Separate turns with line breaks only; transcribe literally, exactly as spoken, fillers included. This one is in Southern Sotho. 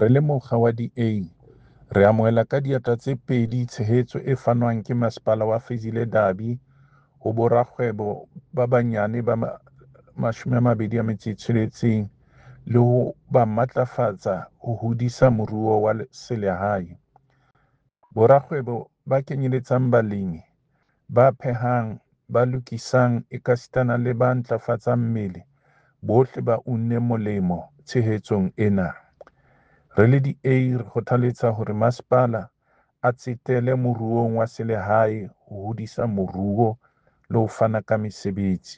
Re le mokga wa D A, re amohela ka diatla tse pedi tshehetso e fanwang ke Masepala wa Fezile Dabi ho borakgwebo ba banyane ba mashome a mabedi a metso e tsheletseng le ho ba matlafatsa ho hodisa moruo wa selehae. Borakgwebo ba kenyeletsang balemi, ba phehang, ba lokisang ekasitana le ba ntlafatsang mmele bohle ba unne molemo tshehetsong ena. Re le D A re kgothaletsa hore masepala a tsetele moruong wa selehae ho hodisa moruo le ho fana ka mesebetsi.